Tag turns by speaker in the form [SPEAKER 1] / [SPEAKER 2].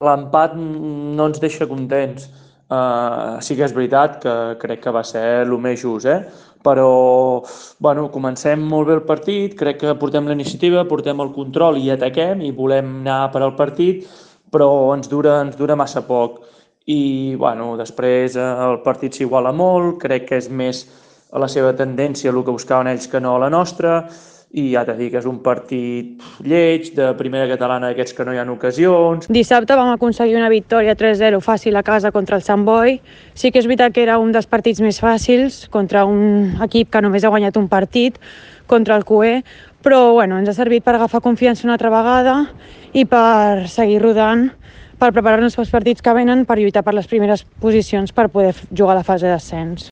[SPEAKER 1] L'empat no ens deixa contents. Sí que és veritat que crec que va ser el més just, però bueno, comencem molt bé el partit, crec que portem la iniciativa, portem el control i ataquem i volem anar per al partit, però ens dura massa poc. I bueno, després el partit s'iguala molt, crec que és més a la seva tendència el que buscaven ells que no a la nostra, i ja t'he dit que és un partit lleig, de primera catalana d'aquests que no hi ha ocasions.
[SPEAKER 2] Dissabte vam aconseguir una victòria 3-0 fàcil a casa contra el Sant Boi. Sí que és veritat que era un dels partits més fàcils contra un equip que només ha guanyat un partit, contra el QE, però bueno, ens ha servit per agafar confiança una altra vegada i per seguir rodant, per preparar-nos pels partits que venen, per lluitar per les primeres posicions per poder jugar a la fase d'ascens.